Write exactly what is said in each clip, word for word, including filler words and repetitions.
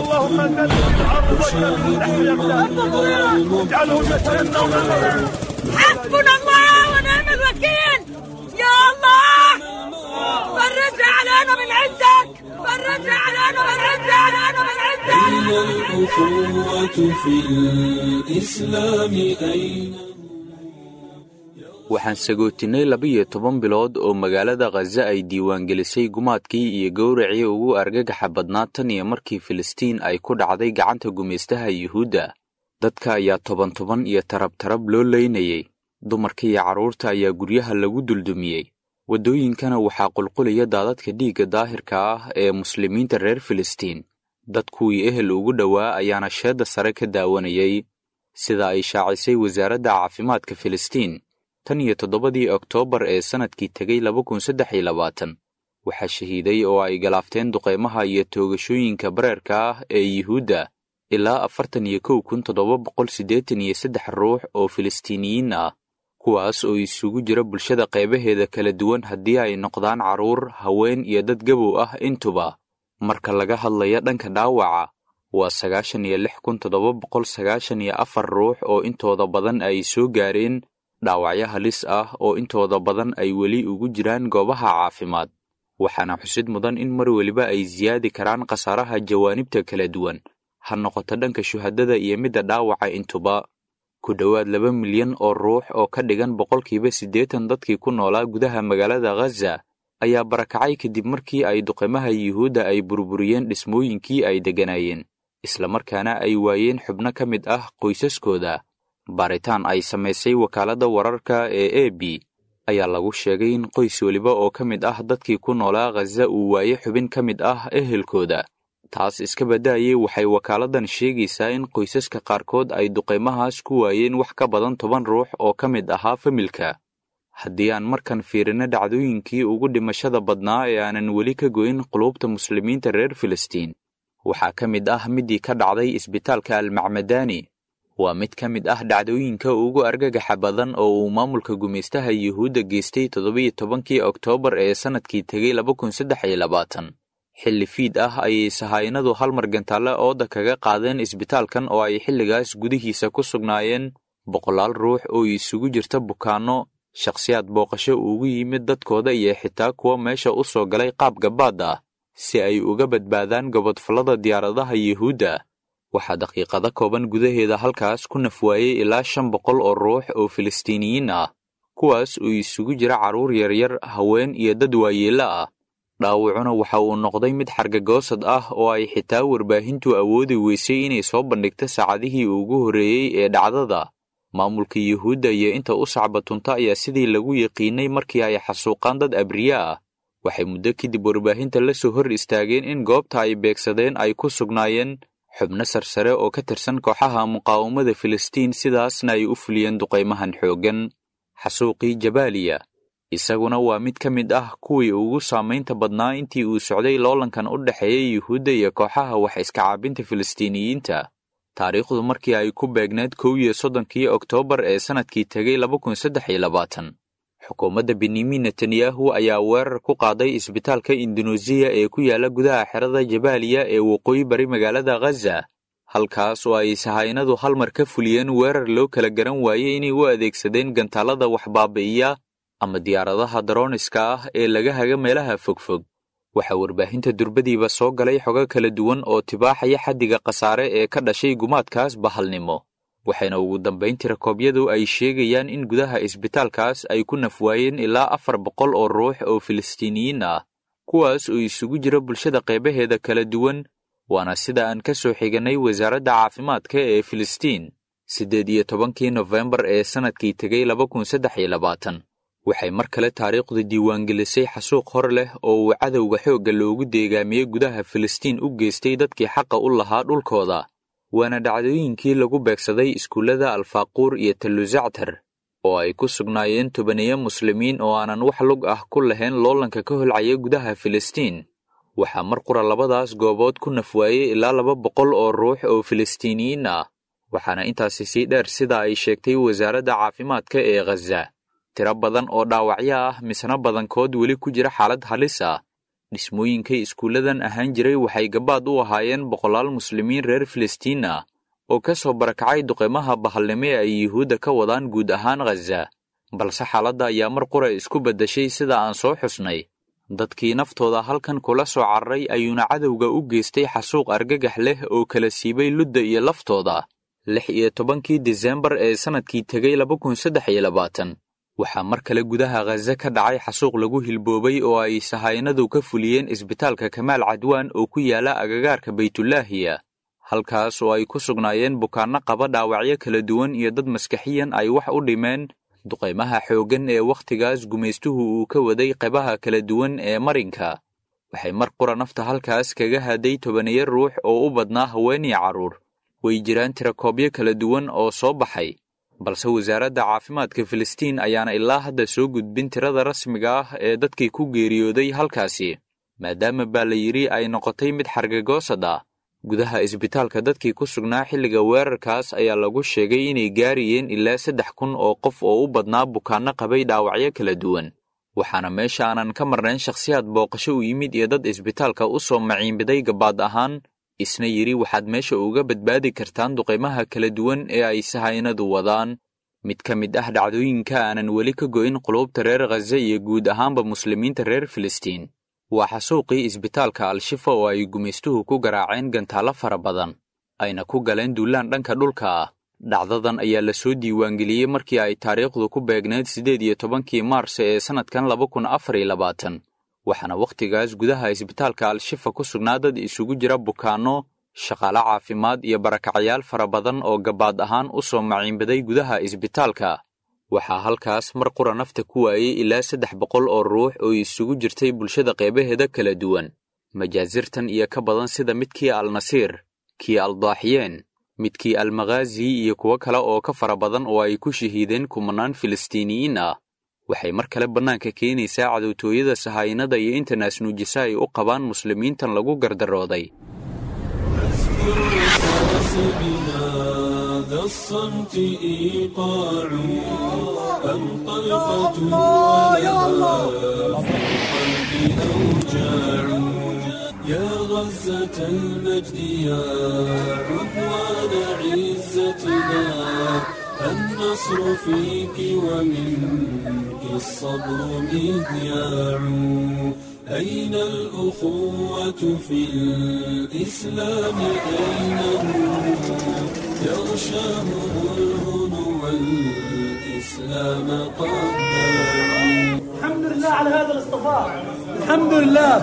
اللهم زلزل الارض اجعلهم يتمنون. حسبنا الله ونعم الوكيل. يا الله فرجها علينا من عندك، فرجها علينا من عندك، علينا من عندك. أين الأخوة في الإسلام أين؟ Waxaan sagootinnay laba-iyo toban bilood oo magaalada Khaza ay diiwaangelisay gumaadkii iyo gowracii ugu argagaxa badnaa tan iyo markii Filistiin ay ku dhacday gacanta gumaystaha Yuhuudda. Dadka ayaa toban toban iyo tarab tarab loo leynayay, dumarka iyo carruurta ayaa guryaha lagu duldumiyey, waddooyinkana waxaa qulqulaya daadadka dhiigga daahirka ah ee muslimiinta reer Filistiin. Dadkuwii ehel ugu dhowaa ayaana sheedda sare ka daawanayay, sida ay shaacisay wasaaradda caafimaadka Filistiin. Tan iyo toddobadii Oktoobar ee sannadkii tegay laba kun saddex iyo labaatan waxaa shahiiday oo ay galaafteen duqeymaha iyo toogashooyinka bareerka ah ee Yuhuudda ilaa afartan iyo kow kun toddoba boqol siddeetan iyo saddex ruux oo Filistiiniyiin ah, kuwaas oo isugu jira bulshada qaybaheeda kala duwan haddii ay noqdaan carruur, haween iyo dad gabow ah intuba. Marka laga hadlaya dhanka dhaawaca, waa sagaashan iyo lix kun toddoba boqol sagaashan iyo afar ruux oo intooda badan ay soo gaareen dhaawacyo halis ah oo intooda badan ay weli ugu jiraan goobaha caafimaad. Waxaana xusid mudan in mar weliba ay siyaadi karaan khasaaraha jawaanibta kala duwan, ha noqoto dhanka shuhadada iyo midda dhaawaca intuba. Ku dhowaad laba milyan oo ruux oo ka dhigan boqolkiiba siddeetan dadkii ku noolaa gudaha magaalada Khaza ayaa barakacay kadib markii ay duqeymaha Yuhuudda ay burburiyeen dhismooyinkii ay degganaayeen, islamarkaana ay waayeen xubno ka mid ah qoysaskooda. Baaritaan ay samaysay wakaaladda wararka ee A B ayaa lagu sheegay in qoys weliba oo ka mid ah dadkii ku noolaa Khaza uu waaye xubin ka mid ah ehelkooda. Taas iska baddaayay, waxay wakaaladdan sheegaysaa in qoysaska qaarkood ay duqeymahaas ku waayeen wax ka badan toban ruux oo ka mid ahaa familka. Haddii aan markan fiirino dhacdooyinkii ugu dhimashada badnaa ee aanan weli ka goyn quluubta muslimiinta reer Filistiin, waxaa ka mid ah midii ka dhacday isbitaalka Almacmadani. Waa mid ka mid ah dhacdooyinka ugu argagaxa badan oo uu maamulka gumaystaha Yuhuudda geystay toddobiyo tobankii Oktoobar ee sannadkii tegay laba kun saddex iyo labaatan. Xilli fiid ah ayay sahaynadu hal mar gantaale ooda kaga qaadeen isbitaalkan oo ay xilligaas gudihiisa ku sugnaayeen boqolaal ruux oo isugu jirta bukaanno, shakhsiyaad booqasho ugu yimid dadkooda iyo xitaa kuwa meesha u soo galay qaab gabaad ah si ay uga badbaadaan gobodfallada diyaaradaha Yuhuudda. Waxaa daqiiqado kooban gudaheeda halkaas ku nafwaayey ilaa shan boqol oo ruux oo Filistiiniyiin ah, kuwaas oo isugu jira carruur yaryar, haween iyo dad waayeello ah. Dhaawacuna waxa uu noqday mid xargagoosad ah oo ay xitaa warbaahintu awoodi weysay inay soo bandhigto saacadihii ugu horreeyey ee dhacdada. Maamulka Yuhuudda iyo inta u sacbatunta ayaa sidii lagu yiqiinay markii ay xasuuqaan dad abriya ah, waxay muddo kadib warbaahinta la soo hor istaageen in goobta ay beegsadeen ay ku sugnaayeen xubno sarsare oo ka tirsan kooxaha muqaawamada Filistiin, sidaasna ay u fuliyeen duqeymahan xooggan. Xasuuqii Jabaaliya isaguna waa mid ka mid ah kuwii ugu saamaynta badnaa intii uu socday loolankan u dhexeeyay Yuhuudda iyo kooxaha wax iska caabinta Filistiiniyiinta. Taariikhdu markii ay ku beegneed kow iyo soddonkii Oktoobar ee sannadkii tegay laba kun saddex iyo labaatan, xukuumadda Benyamin Netanyahu ayaa weerar ku qaaday isbitaalka Indunuusiya ee ku yaala gudaha xerada Jabaaliya ee waqooyi bari magaalada Khaza, halkaas oo ay sahaynadu hal mar ka fuliyeen weerar loo kala garan waayey inay u adeegsadeen gantaalada wax baabi'iya ama diyaaradaha darooniska ah ee laga haga meelaha fogfog. Waxaa warbaahinta durbadiiba soo galay xogo kala duwan oo tibaaxaya xaddiga khasaare ee ka dhashay gumaadkaas bahalnimo, waxayna ugu dambayn tirakoobyadu ay sheegayaan in gudaha isbitaalkaas ay ku nafwaayeen ilaa afar boqol oo ruux oo Filistiiniyiin ah, kuwaas oo isugu jira bulshada qaybaheeda kala duwan, waana sida aan ka soo xiganay wasaaradda caafimaadka ee Filistiin. Siddeed iyo tobankii Nofembar ee sannadkii tegay laba kun saddex iyo labaatan waxay mar kale taariikhdu diiwaangelisay xasuuq hor leh oo uu cadowga xoogga loogu deegaamiyey gudaha Filistiin u geystay dadkii xaqa u lahaa dhulkooda, waana dhacdooyinkii lagu beegsaday iskuullada Alfaaquur iyo Talluzactar oo ay ku sugnaayeen tobaniyo muslimiin oo aanan wax lug ah ku lahayn loolanka ka holcaya gudaha Filistiin. Waxaa mar qura labadaas goobood ku nafwaayey ilaa laba boqol oo ruux oo Filistiiniyiin ah, waxaana intaasi sii dheer sida ay sheegtay wasaaradda caafimaadka ee Khaza tiro badan oo dhaawacyo ah, misna badankood weli ku jira xaalad halis ah. Dhismooyinkay iskuulladan ahaan jiray waxay gabaad u ahaayeen boqolaal muslimiin reer Filistiin ah oo ka soo barakacay duqeymaha bahalnimo ee ay Yuhuudda ka wadaan guud ahaan Ghaza. Balse xaaladda ayaa mar qura isku beddeshay sida aan soo xusnay. Dadkii naftooda halkan kula soo cararay ayuuna cadowga u geystay xasuuq argagax leh oo kala siibay ludda iyo laftooda. Lix iyo tobankii Disembar ee sannadkii tegay laba kun saddex iyo labaatan waxaa mar kale gudaha Ghaza ka dhacay xasuuq lagu hilboobay oo ay sahaynadu ka fuliyeen isbitaalka Kamaal Cadwaan oo ku yaala agagaarka Baytulaahiya, halkaas oo ay ku sugnaayeen bukaanno qaba dhaawacyo kala duwan iyo dad maskaxiyan ay wax u dhimeen duqeymaha xooggan ee wakhtigaas gumaystuhu uu ka waday qaybaha kala duwan ee marinka. Waxay mar qura nafta halkaas kaga haday tobaniyo ruux oo u badnaa haween iyo carruur. Way jiraan tirakoobyo kala duwan oo soo baxay, balse wasaaradda caafimaadka Filistiin ayaana ilaa hadda soo gudbin tirada rasmiga ah ee dadkii ku geeriyooday halkaasi, maadaama baa la yidhi ay noqotay mid xargagoosad ah. Gudaha isbitaalka dadkii ku sugnaa xilliga weerarkaas ayaa lagu sheegay inay gaarayeen ilaa saddex kun oo qof oo u badnaa bukaanno qabay dhaawacyo kala duwan, waxaana meesha aanan ka marnayn shakhsiyaad booqasho u yimid iyo dad isbitaalka u soo maciinbiday gabaad ahaan, isna yidhi waxaad meesha uga badbaadi kartaan duqeymaha kala duwan ee ay sahaynadu wadaan. Mid ka mid ah dhacdooyinka aanan weli ka go'in quluubta reer Ghaza iyo guud ahaanba muslimiinta reer Filistiin waa xasuuqii isbitaalka Al-Shifa oo ay gumaystuhu ku garaaceen gantaallo fara badan, ayna ku galeen duulaan dhanka dhulka ah. Dhacdadan ayaa la soo diiwaangeliyey markii ay taariikhdu ku beegneyd siddeed iyo tobankii Maars ee sannadkan laba kun afar iyo labaatan, waxaana wakhtigaas gudaha isbitaalka Al-Shifa ku sugnaa dad isugu jira bukaanno, shaqaale caafimaad iyo barakacyaal fara badan oo gabaad ahaan u soo maciinbaday gudaha isbitaalka. Waxaa halkaas mar qura nafta ku waayey ilaa saddex boqol oo ruux oo isugu jirtay bulshada qeybaheeda kala duwan. Majaasirtan iyo ka badan sida midkii Al-Nasiir, kii Al-Daaxiyeen, midkii Al-Maghaazi iyo kuwo kale oo ka fara badan oo ay ku shahiideen kumanaan Filistiiniyiin ah, waxay mar kale bannaanka keenaysaa cadowtooyada sahaynada iyo inta naasnuujisa ay u qabaan muslimiintan lagu gardarooday. هذا الصمت إيقاع أم طلقة ولها في القلب أوجاع يا غزة المجد يا عدوان عزتنا النصر فيك ومنك الصبر مذياع أين الأخوة في الإسلام أين هم يغشاهم الهنو والإسلام قد باعوا الحمد لله على هذا الاصطفاء الحمد لله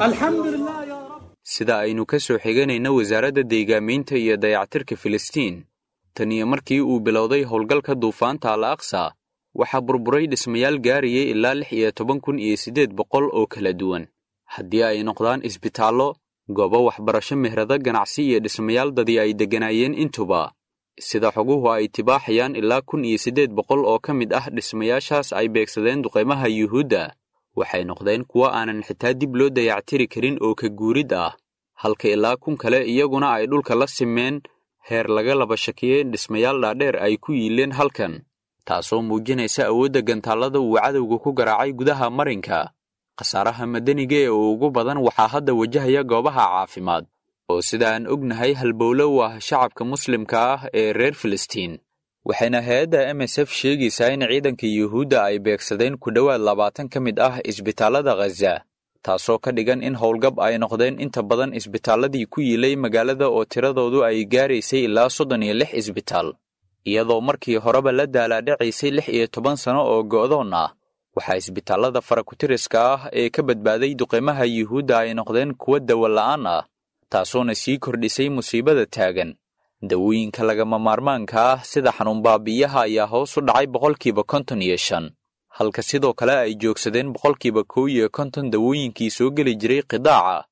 الحمد لله يا رب. Sida aynu ka soo xiganayna wasaaradda deegaamiinta iyo dayactirka Filistiin, tan iyo markii uu bilowday howlgalka duufaanta Al-Aqsa, waxaa burburay dhismayaal gaarayay ilaa lix iyo toban kun iyo siddeed boqol oo kala duwan, haddii ay noqdaan isbitaallo, goobo waxbarasho, mehrado ganacsi iyo dhismayaal dadii ay degganaayeen intuba. Sida xoguhu ay tibaaxayaan, ilaa kun iyo siddeed boqol oo ka mid ah dhismayaashaas ay beegsadeen duqeymaha Yuhuudda waxay noqdeen kuwo aanan xitaa dib loo dayactiri karin oo ka guurid ah, halka ilaa kun kale iyaguna ay dhulka la simeen heer laga laba shakiyey in dhismayaal dhaadheer ay ku yiileen halkan, taasoo muujinaysa awoodda gantaallada uu cadowga ku garaacay gudaha marinka. Khasaaraha madaniga ee ugu badan waxaa hadda wajahaya goobaha caafimaad oo sida aan ognahay halbowlo u ah shacabka muslimka ah ee reer Filistiin. Waxayna hay-adda M S F sheegaysaa in ciidanka Yuhuudda ay beegsadeen ku dhowaad labaatan ka mid ah isbitaallada Ghaza, taasoo ka dhigan in howlgab ay noqdeen inta badan isbitaalladii ku yiilay magaalada oo tiradoodu ay gaaraysay ilaa soddon iyo lix isbitaal, iyadoo markii horeba la daalaadhacaysay lix iyo toban sano oo go'doon ah. Waxaa isbitaallada farakutiriska ah ee ka badbaaday duqeymaha Yuhuudda ay noqdeen kuwo dawo la'aan ah, taasoona sii kordhisay musiibada taagan. Dawooyinka lagama maarmaanka ah sida xanuun baabi'iyaha ayaa hoos u dhacay boqolkiiba konton iyo shan, halka sidoo kale ay joogsadeen boqolkiiba kow iyo konton dawooyinkii soo geli jiray qidaaca.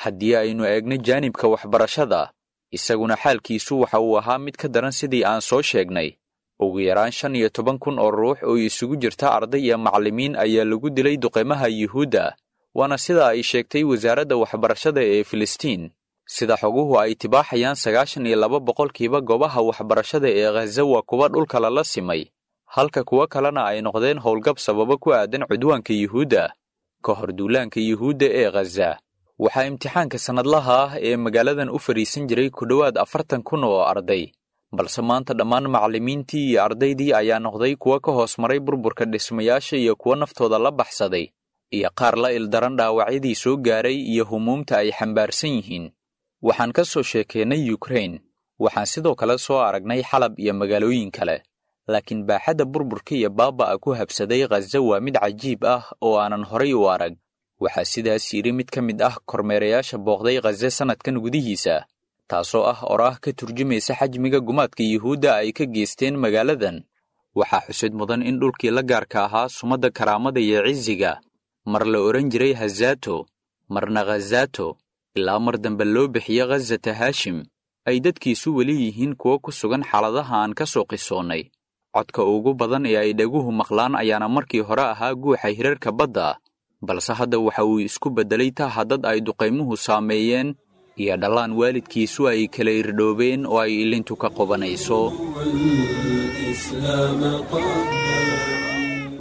Haddii aynu eegno jaanibka waxbarashada, isaguna xaalkiisu waxa uu ahaa mid ka daran sidii aan soo sheegnay. Ugu yaraan shan iyo toban kun oo ruux oo isugu jirta arday iyo macallimiin ayaa lagu dilay duqeymaha Yuhuudda, waana sida ay sheegtay wasaaradda waxbarashada ee Filistiin. Sida xoguhu ay tibaaxayaan, sagaashan iyo laba boqolkiiba goobaha waxbarashada ee Ghaza waa kuwa dhulka lala simay, halka kuwo kalena ay noqdeen howlgab sababo ku aadan cudwaanka Yuhuudda. Ka hor duulaanka Yuhuudda ee Khaza, waxaa imtixaanka sannadlaha ah ee magaaladan u fadhiisan jiray ku dhowaad afartan kun oo arday, balse maanta dhammaan macallimiintii iyo ardaydii ayaa noqday kuwa ka hoos maray burburka dhismayaasha iyo kuwa naftooda la baxsaday, iyo qaar la ildaran dhaawacyadii soo gaaray iyo humuumta ay xambaarsan yihiin. Waxaan ka soo sheekeennay Yukrain, waxaan sidoo kale soo aragnay Xalab iyo magaalooyin kale, laakiin baaxadda burburka iyo baaba'a ku habsaday Khaza waa mid cajiib ah oo aanan horay u arag. Waxaa sidaas yidhi mid ka mid ah kormeerayaasha booqday Khaza sannadkan gudihiisa, taasoo ah oraah ka turjumaysa xajmiga gumaadka Yuhuudda ay ka geysteen magaaladan. Waxaa xusid mudan in dhulkii la gaarka ahaa sumadda karaamada iyo cisiga mar la odhan jiray Hazato, marna Khazato, ilaa mar dambe loo bixiyo Khazata Haashim, ay dadkiisu weli yihiin kuwo ku sugan xaaladaha aan ka soo qisoonnay. Codka ugu badan ee ay dhaguhu maqlaan ayaana markii hore ahaa guuxa hirarka badda, balse hadda waxa uu isku beddelay taha dad ay duqaymuhu saameeyeen iyo dhallaan waalidkiisu ay kala irdhoobeen oo ay ilintu ka qobanayso. والإسلام قد